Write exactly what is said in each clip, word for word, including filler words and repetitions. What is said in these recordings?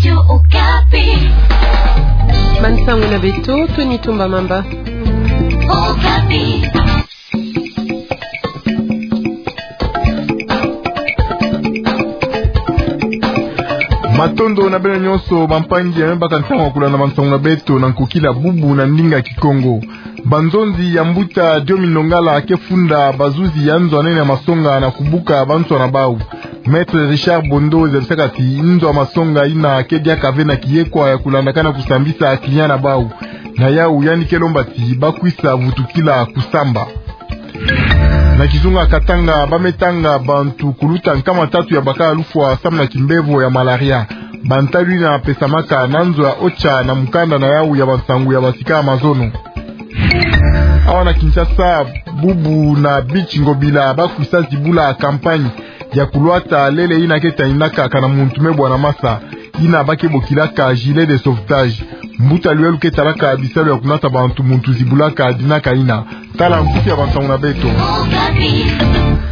Radio Okapi. Bansango na beto, Tony Tumba Mamba. Okapi. Matondo na beno nyonso, bampangi ya me baka ntangu ya kulanda bansango na beto na nkokila bubu na ndinga Kikongo. Banzonzi ya mbuta Diomi Ndongala ke funda bazuzi ya nzo ya nene ya masonga na kubuka banso na bau. Maître Richard Bondo zabisaka ti nzo ya masonga ina ke diaka ve na kiyekwa ya kulandakana kusambisa client na bau. Na yau yandi ke lomba ti bakwisa vutukila kusamba. Na kizunga Katanga, ba me tanga bantu kuluta nkama tatu ya baka lufwa samu na kimbevo ya malaria. Bantalu ina pesamaka na nzo ya OCHA na mukanda na yau ya bansangu ya basika mazono. Awa na Kinshasa, bubu na Beach Ngobila bakwisa zibula campagne ya kulwata lele ina ke taninaka kana muntu me bwana masa, ina ba ke bokilaka gilet de sauvetage. Mbuta Luelu ke talaka bisalu ya kunata bantu muntu zibulaka dinaka ina. Tala nkufi ya bansangu na beto.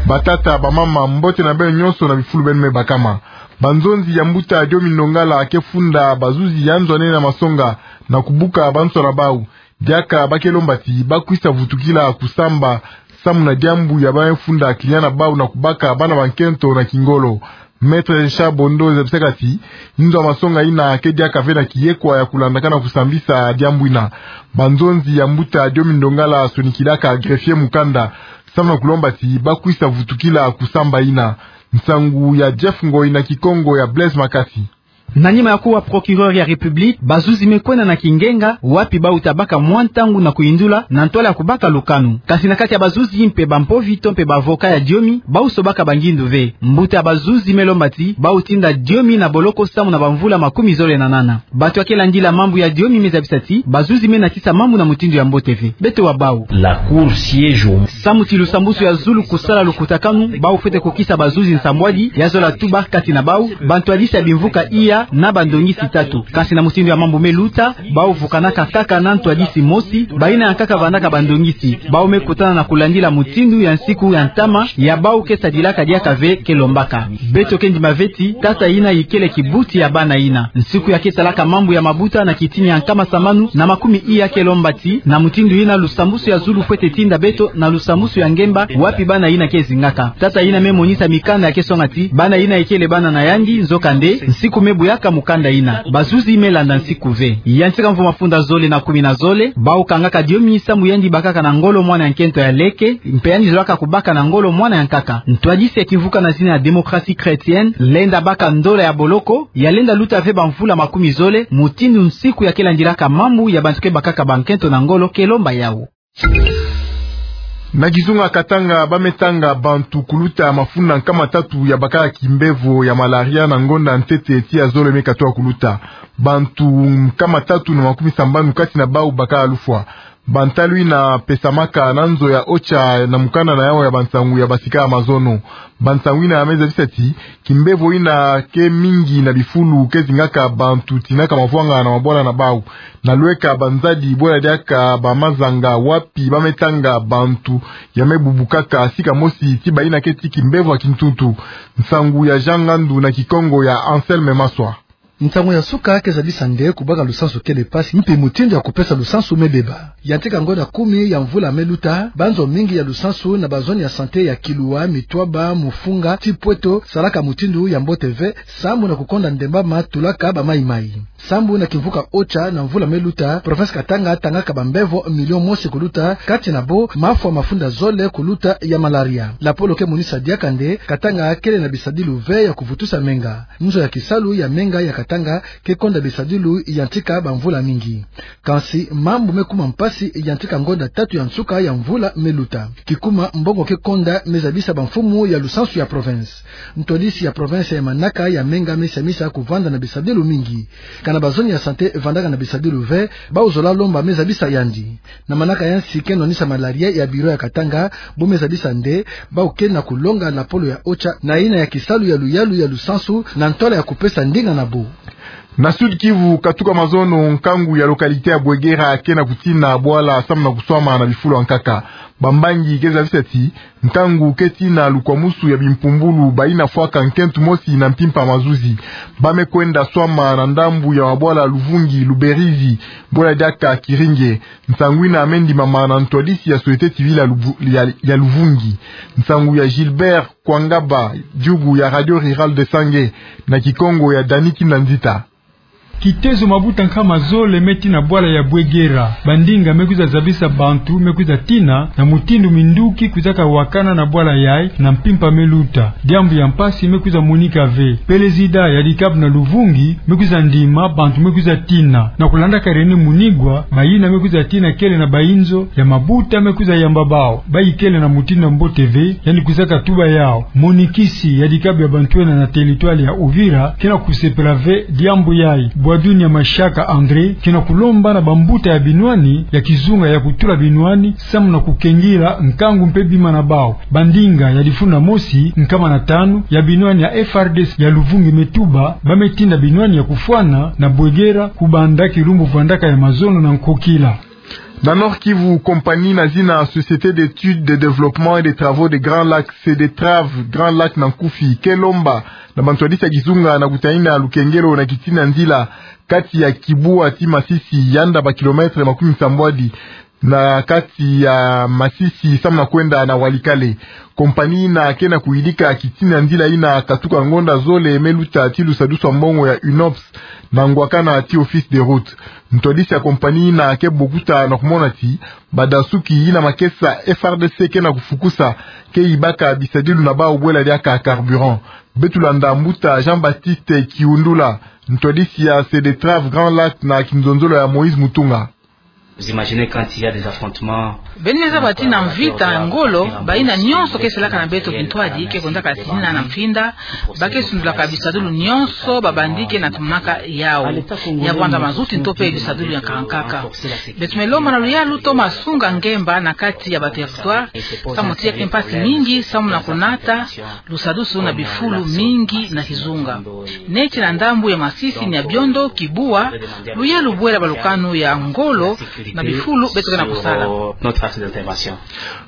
Batata, bamama, mbote na beno nyonso na bifulu beno me bakama. Banzonzi ya mbuta Diomi Ndongala ke funda bazuzi ya nzo ya nene ya masonga na kubuka banso na bau. Diaka ba ke lomba ti bakwisa vutukila kusamba samu na diambu ya ba me funda client na bau na kubaka bana bankento na kingolo. Maître Richard Bondo zabisaka ti nzo ya masonga ina ke diaka ve na kiyekwa ya kulandakana kusambisa diambu ina. Banzonzi ya mbuta Diomi Ndongala sonikilaka greffier mukanda samu na kulomba ti bakwisa vutukila kusamba ina. Nsangu ya Jeff Ngoi na Kikongo ya Blaise Makasi. Na nima ya kuwa procureur ya République, bazuzi me kwenda na kingenga wapi bauta baka mwa ntangu na kuyindula na ntwala ya kubaka lukanu. Kasi na kati ya bazuzi mpe bampovi to mpe ba avocat ya Diomi, bauso baka bangindu ve. Mbuta ya bazuzi me lomba ti bautinda Diomi na boloko samu na bamvula makumi zole na nana. Bantu ya ke landila mambu ya Diomi me zabisa ti bazuzi me natisa mambu na mutindu ya mbote ve. Beto wa bau. La cour siège au Samu ti lusambusu ya zulu kusala lukutakanu, bau fwete kukisa bazuzi nsambwadi ya zola tuba kati na bau, bantwadisi ya bimvuka iya na bandongisi tatu. Kasi na mutindu ya mambu me luta, bau vukanaka kaka na ntwadisi mosi, bayina ya nkaka vandaka bandongisi. Bau me kutana na kulandila mutindu ya nsiku ya ntama ya bau ke sadilaka diaka ve ke lombaka. Beto ke ndima ve ti tata yina yikele kibuti ya bana yina. Nsiku ya ke talaka mambu ya mabuta na kitini ya nkama sambanu na makumi iya ke lomba ti, na mutindu yina lusambusu ya zulu fwete tinda beto na lusambusu ya ngemba wapi bana yina ke zingaka. Tata yina me monisa mikanda ya ke songa ti bana yina yikele bana na yandi, nzokande nsiku me buyaka mukanda yina. Bazuzi me landa nsiku ve. Ya ntika mvu mafunda zole na kumi na zole, bau kangaka Diomi samu yandi bakaka na ngolo mwana ya nkento ya leke, mpe yandi zolaka kubaka na ngolo mwana ya nkaka. Ntwadisi ya kimvuka na zina ya Démocratie Chrétienne lenda baka ndola ya boloko, ya lenda luta ve bamvula makumi zole, mutindu nsiku ya ke landilaka mambu ya bantu ke bakaka bankento na ngolo ke lomba yau. Na kizunga Katanga, ba me tanga bantu kuluta mafunda nkama tatu ya baka kimbevo ya malaria na ngonda ntete ti ya zole me katoa kuluta. Bantu nkama tatu na makumi sambanu kati na bau baka lufwa. Bantalu yina pesamaka na nzo ya OCHA na mukanda na yau ya bansangu ya basika mazono. Bansangu yina me zabisa ti kimbevo yina ke mingi na bifulu ke zingaka bantu tinaka mavwanga na mabwala na bau. Na lweka banzadi bwela diaka bamazanga wapi ba me tanga bantu ya me bubukaka sika mosi ti bayina ke ti kimbevo ya kintuntu. Nsangu ya Jean Ngandu na Kikongo ya Anselme Maswa. Nsangu ya suka ke zabisa nde kubaka lusansu kele pasi, mpe mutindu ya kupesa lusansu me beba. Ya ntika ngonda kumi ya mvula me luta, banzo mingi ya lusansu na bazone ya santé ya Kilwa, Mitwaba, Mufunga, ti Pweto salaka mutindu ya mbote ve, sambu na kukonda ndemba ma tulaka bamayi-mayi. Sambu na kimvuka OCHA, na mvula me luta, province Katanga tangaka bambevo million mosi kuluta, kati na bo mafwa mafunda zole kuluta ya malaria. Lapolo ke monisa diaka nde Katanga kele na bisadilu ve ya kuvutusa menga. Nzo ya kisalu ya menga ya Katanga ke konda bisadilu ya ntika bamvula mingi. Kansi mambu me kuma mpasi ya ntika ngonda tatu ya nsuka ya mvula me luta. Kikuma mbongo ke konda me zabisa bamfumu ya lusansu ya province. Ntwadisi ya province ya manaka ya menga me siamisa kuvanda na bisadilu mingi. Kana bazone ya santé vandaka na bisadilu ve, bau zola lomba me zabisa yandi. Na manaka ya nsi ke nwanisa malaria ya bureau ya Katanga, bo me zabisa nde bau ke na kulonga lapolo ya OCHA na yina ya kisalu ya luyalu ya lusansu na ntwala ya kupesa ndinga na bo. Na Sud-Kivu, katuka mazono, nkangu ya localité ya Bwegera ke na kutina bwala samu na kuswama na bifulu ya nkaka. Bambangi ke zabisa ti nkangu ke tina lukwamusu ya bimpumbulu bayi na fwaka nkento mosi na mpimpa mazuzi. Ba me kwenda swama na ndambu ya mabwala Luvungi, Luberizi, bwala diaka Kiringe. Nsangu ina me ndimama na ntwadisi ya société civile ya Luvu-, ya, ya Luvungi. Nsangu ya Gilbert Kwangaba, diugu ya Radio Rurale de Sange, na Kikongo ya Dani Kinanzita. Kitezo mabuta nkama zole me tina bwala ya Bwegera. Bandinga me kwiza zabisa bantu me kwiza tina na mutindu minduki kwizaka wakana na bwala yayi na mpimpa me luta. Diambu ya mpasi me kwiza monika ve. Pelezida ya dikabu na Luvungi me kwiza ndima bantu me kwiza tina. Na kulandaka René Munigwa, bayina me kwiza tina kele na bayinzo ya mabuta me kwiza yamba bawu. Bayi kele na mutindu ya mbote ve, yandi kwizaka tuba yawu. Monikisi ya dikabu ya bantu ena na territoire ya Uvira, ke na kusepela ve diambu yayi. Bwa dunia Mashaka André, ke na kulomba na bambuta ya binwani ya kizunga ya kutula binwani, samu na kukengila nkangu mpe bima na bawu. Bandinga ya difuna mosi, nkama na tanu, ya binwani ya F R D C ya Luvungi me tuba, ba me tinda binwani ya kufwana na Bwegera, kubanda kilumbu vwandaka ya mazono na nkokila. Na Nord-Kivu, compagnie na zina Société d'études de développement et de travaux de Grand Lac, Cedétrav Grand Lac na nkufi, ke lomba na bantwadisi ya kizunga na kutayina lukengelo na kitina nzila kati ya Kibua ti Masisi, yanda ba kilomètre makumi sambwadi, na kati ya Masisi samu na kwenda na Walikale. Compagnie ina ke na kuyidika kitina nzila ina katuka ngonda zole me luta ti lusadusu ya mbongo ya UNOPS na ngwakana ti Office des Routes. Ntwadisi ya compagnie ina ke bokuta na kumona ti badasuki ina makesa F R D C ke na kufukusa ke yibaka bisadilu na bawu bwela diaka carburant. Beto landa mbuta Jean-Baptiste Kiundula, ntwadisi ya Cedétrav Grand Lac na kinzonzolo ya Moïse Mutunga. Vous imaginez quand il y a des affrontements. Beno zaba ti na mvita ya ngolo, bayina nyonso ke salaka na beto kintwadi ke kwendaka tina na mfinda, ba ke sundulaka bisadilu nyonso, babandi ke na tumanaka yawu. Ya kwanda mazuti nto mpe bisadilu ya nkaka nkaka. Beto me lomba na luyalu toma sunga ngemba na kati ya ba territoire, samu tiya ke mpasi mingi, samu na kunata lusadusu na bifulu mingi na kizunga. Neti na ndambu ya Masisi, Nyabiondo, Kibua, luyalu bwela balukanu ya ngolo na bifulu beto ke na kusala.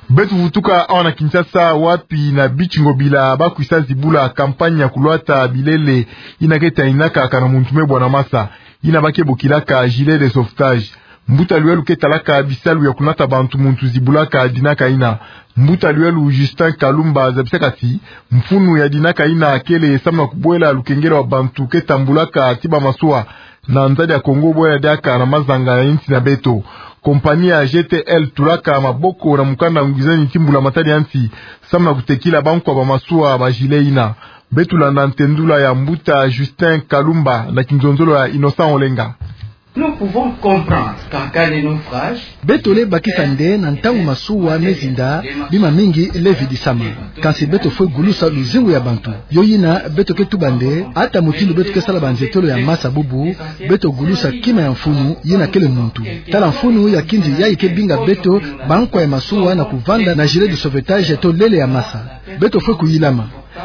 Beto vutuka awa na Kinshasa, wapi na Beach Ngobila ba kwisa zibula campagne ya kulwata bilele ina ke tayinaka kana muntu me bwana masa, ina ba ke bokilaka gilet de sauvetage. Mbuta luyalu ke talaka bisalu ya kunata bantu muntu zibulaka dinaka ina. Mbuta luyalu Justin Kalumba zabisaka ti mfunu ya dinaka ina kele samu na kubwela lukengela wa bantu ke tambulaka ti bamasuwa na nzadi ya Kongo bwela diaka na mazanga ya insi na beto. Compagnie ya G T L tulaka maboko na mukanda ngwizani ti mbula matadi ya nsi samu na kutekila bankwa bamasuwa ba gilet ina. Beto landa ntendula ya mbuta Justin Kalumba na kinzonzolo ya Innocent Olenga. Nous pouvons comprendre qu'en cas de naufrage, beto le bakisa nde na ntangu masuwa me zinda, bima mingi le vidisama. Kansi beto fwe gulusa luzingu ya bantu. Yo yina beto ke tuba nde, ata mutindu beto ke sala banzetelo ya masa bubu, beto gulusa kima ya mfunu, yina kele muntu. Tala mfunu ya kindi yayi ke binga beto bankwa ya masuwa na kuvanda na gilet de sauvetage to lele ya masa. Beto fwe kuyilama.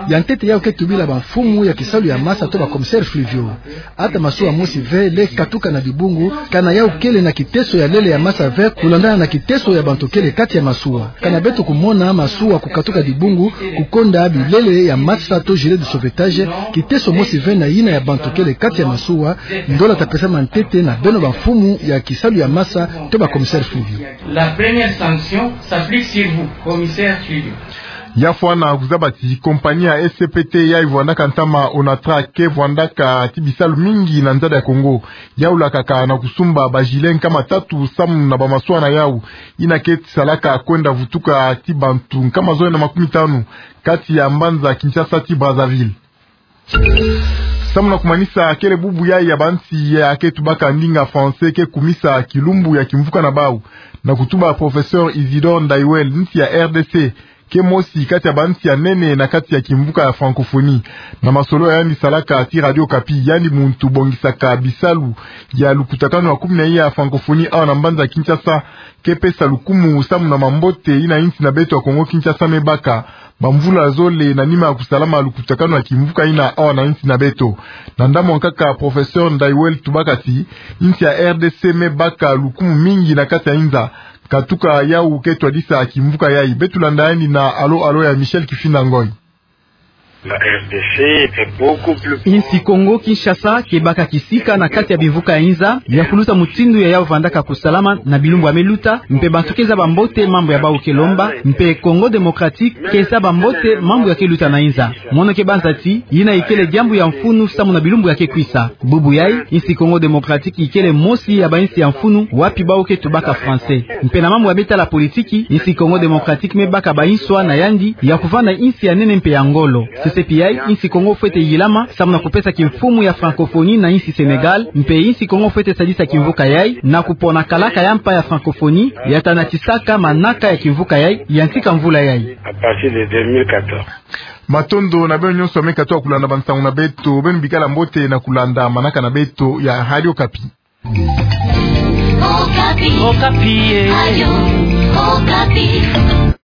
Ya ntete yawu ke tubila bamfumu ya kisalu ya masa to ba commissaires fluviaux. Ata masuwa mosi ve le katuka na dibungu, kana yawu kele na kiteso ya lele ya masa ve kulandana na kiteso ya bantu kele kati ya masuwa. Kana beto kumona masuwa kukatuka dibungu, kukonda bilele ya masa to gilet de sauvetage, kiteso mosi ve na yina ya bantu kele kati ya masuwa, ndola ta pesama ntete na beno bamfumu ya kisalu ya masa to ba commissaires fluviaux. La première sanction s'applique sur vous, commissaires fluviaux. Ya fwana kuzaba ti compagnie ya S C P T yayi vwandaka ntama Onatra ke vwandaka ti bisalu mingi na nzadi ya Kongo. Yawu lakaka na kusumba ba gilet nkama tatu samu na bamasuwa na yawu, ina ke salaka kwenda vutuka ti bantu nkama zole na makumi tanu kati ya mbanza Kinshasa ti Brazzaville. Samu na kumanisa, kele bubu yayi ya bansi ya ke tubaka ndinga français ke kumisa kilumbu ya kimvuka na bawu, na kutuba professeur Isidore Ndaiwel, nsi ya R D C ke mosi kati ya bansi ya nene na kati ya kimvuka ya francophonie. Na masolo ya yandi salaka ti Radio Okapi, yandi muntu bongisaka bisalu ya lukutakanu ya kumi na iya ya francophonie awa na mbanza Kinshasa, ke pesa lukumu samu na mambote ina insi na beto ya Kongo Kinshasa me baka, bamvula zole na nima ya kusalama lukutakanu ya kimvuka ina awa na insi na beto. Na ndambu nkaka, professeur Ndaiwel tubaka ti insi ya R D C me baka lukumu mingi na kati ya inza, Katuka yau ke twadisa kimvuka yai, beto landa yandi na alo alo ya Michel Kifinda Ngoi. Insi Kongo Kinshasa ke baka kisika na kati ya bimvuka ya inza ya kuluta mutindu ya yau vandaka kusalama na bilumbu ya me luta, mpe bantu ke zaba mbote mambu ya bau ke lomba, mpe Congo Démocratique ke zaba mbote mambu ya ke luta na inza. Mono ke banza ti yina ikele diambu ya mfunu samu na bilumbu ya ke kwisa. Bubu yai, insi Congo Démocratique ikele mosi ya bainsi ya mfunu wapi bau ke tubaka français. Mpe na mambu ya me tala politiki, insi Congo Démocratique me baka bainswa na yandi ya kuvanda insi ya nene mpe ya ngolo. Sesepi yai, insi Kongo fwete yilama samu na kupesa kimfumu ya francophonie na insi Sénégal, mpe insi Kongo fwete sadisa kimvuka yai na kupona kalaka ya mpa ya francophonie ya tanatisaka manaka ya kimvuka yai ya ntika mvula yai. À partir de deux mille quatorze. Matondo na beno nyonso ya me katuka kulanda bansangu na beto. Beno bikala mbote na kulanda manaka na beto ya Radio Okapi. Okapi. Okapi, eh. Radio Okapi.